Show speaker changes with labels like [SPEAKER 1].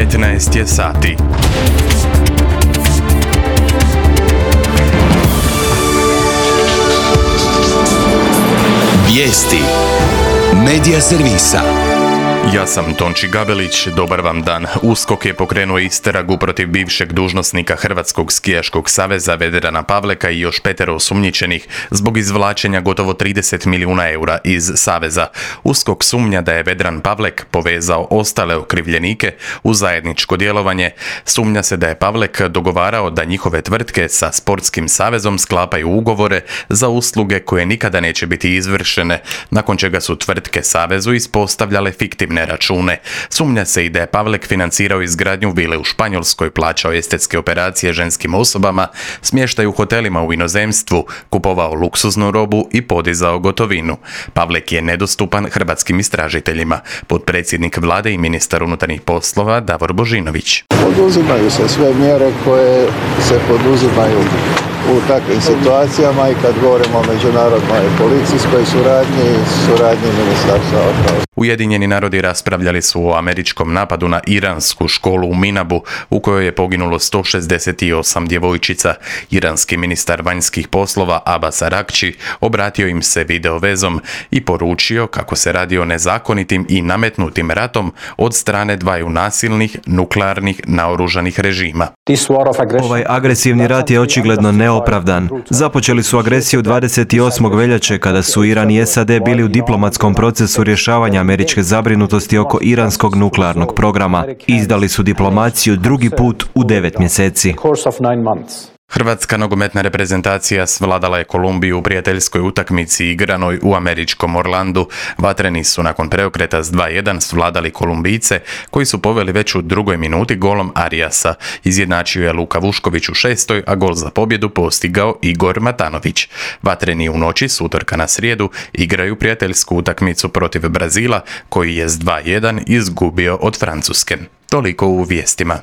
[SPEAKER 1] 15 je sati.
[SPEAKER 2] Vijesti Medija servisa.
[SPEAKER 1] Ja sam Tonči Gabelić, dobar vam dan. USKOK je pokrenuo istragu protiv bivšeg dužnosnika Hrvatskog skijaškog saveza Vedrana Pavleka i još 5 osumnjičenih zbog izvlačenja gotovo 30 milijuna eura iz saveza. USKOK sumnja da je Vedran Pavlek povezao ostale okrivljenike u zajedničko djelovanje. Sumnja se da je Pavlek dogovarao da njihove tvrtke sa sportskim savezom sklapaju ugovore za usluge koje nikada neće biti izvršene, nakon čega su tvrtke savezu ispostavljale fiktivne račune. Sumnja se i da je Pavlek financirao izgradnju vile u Španjolskoj, plaćao estetske operacije ženskim osobama, smještaj u hotelima u inozemstvu, kupovao luksuznu robu i podizao gotovinu. Pavlek je nedostupan hrvatskim istražiteljima. Potpredsjednik vlade i ministar unutarnjih poslova Davor Božinović.
[SPEAKER 3] Poduzimaju se sve mjere koje se poduzimaju u takvim situacijama i kad govorimo o međunarodnoj policijskoj suradnji Ministarstva obrane.
[SPEAKER 1] Ujedinjeni narodi raspravljali su o američkom napadu na iransku školu u Minabu, u kojoj je poginulo 168 djevojčica. Iranski ministar vanjskih poslova Abbas Araghči obratio im se video vezom i poručio kako se radi o nezakonitim i nametnutim ratom od strane dvaju nasilnih, nuklearnih, naoružanih režima.
[SPEAKER 4] Ovaj agresivni rat je očigledno neopravdan. Započeli su agresiju 28. veljače kada su Iran i SAD bili u diplomatskom procesu rješavanja američke zabrinutosti oko iranskog nuklearnog programa. Izdali su diplomaciju drugi put u 9 mjeseci.
[SPEAKER 1] Hrvatska nogometna reprezentacija svladala je Kolumbiju u prijateljskoj utakmici igranoj u američkom Orlandu. Vatreni su nakon preokreta s 2:1 svladali Kolumbijce, koji su poveli već u drugoj minuti golom Ariasa. Izjednačio je Luka Vušković u 6., a gol za pobjedu postigao Igor Matanović. Vatreni u noći s utorka na srijedu igraju prijateljsku utakmicu protiv Brazila, koji je s 2:1 izgubio od Francuske. Toliko u vijestima.